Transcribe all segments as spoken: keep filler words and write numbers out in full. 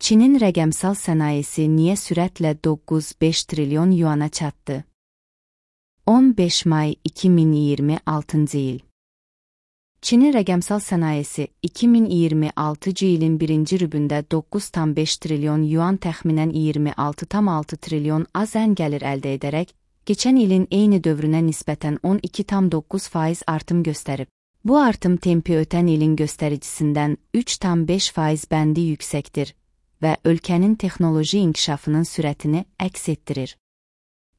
Çinin rəqəmsal sənayesi niyə sürətlə doqquz beş trilyon yuana çatdı? on beş may iki min iyirmi altıncı il. Çinin rəqəmsal sənayesi iki min iyirmi altıncı ilin birinci rübündə doqquz tam beş trilyon yuan təxminən iyirmi altı tam altı trilyon AZN gəlir əldə edərək, keçən ilin eyni dövrünə nisbətən on iki tam doqquz faiz artım göstərib. Bu artım tempi ötən ilin göstəricisindən üç tam beş faiz bəndi yüksəkdir və ölkənin texnoloji inkişafının sürətini əks etdirir.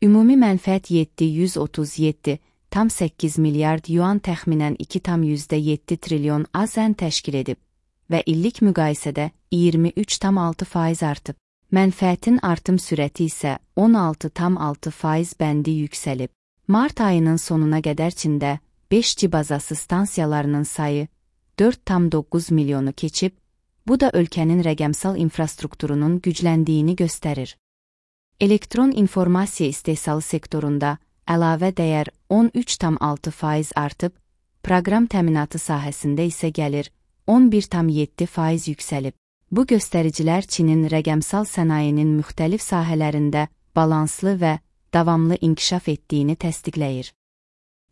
Ümumi mənfəət yeddi yüz otuz yeddi tam səkkiz milyard yuan təxminən iki tam yüzdə yeddi trilyon AZN təşkil edib və illik müqayisədə iyirmi üç tam altı faiz artıb. Mənfəətin artım sürəti isə on altı tam altı faiz bəndi yüksəlib. Mart ayının sonuna qədər Çində beş G bazası stansiyalarının sayı dörd tam doqquz milyonu keçib, bu da ölkənin rəqəmsal infrastrukturunun gücləndiyini göstərir. Elektron informasiya istehsalı sektorunda əlavə dəyər on üç tam altı faiz artıb, proqram təminatı sahəsində isə gəlir on bir tam yeddi faiz yüksəlib. Bu göstəricilər Çinin rəqəmsal sənayinin müxtəlif sahələrində balanslı və davamlı inkişaf etdiyini təsdiqləyir.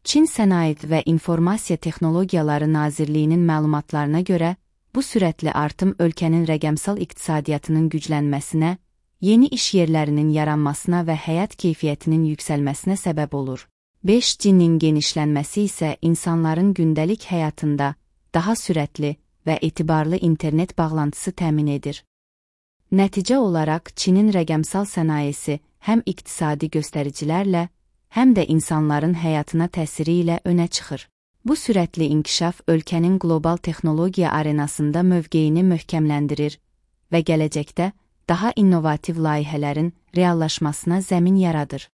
Çin Sənaye və İnformasiya Texnologiyaları Nazirliyinin məlumatlarına görə, bu sürətli artım ölkənin rəqəmsal iqtisadiyyatının güclənməsinə, yeni iş yerlərinin yaranmasına və həyat keyfiyyətinin yüksəlməsinə səbəb olur. beş G-nin genişlənməsi isə insanların gündəlik həyatında daha sürətli və etibarlı internet bağlantısı təmin edir. Nəticə olaraq Çinin rəqəmsal sənayesi həm iqtisadi göstəricilərlə, həm də insanların həyatına təsiri ilə önə çıxır. Bu sürətli inkişaf ölkənin qlobal texnologiya arenasında mövqeyini möhkəmləndirir və gələcəkdə daha innovativ layihələrin reallaşmasına zəmin yaradır.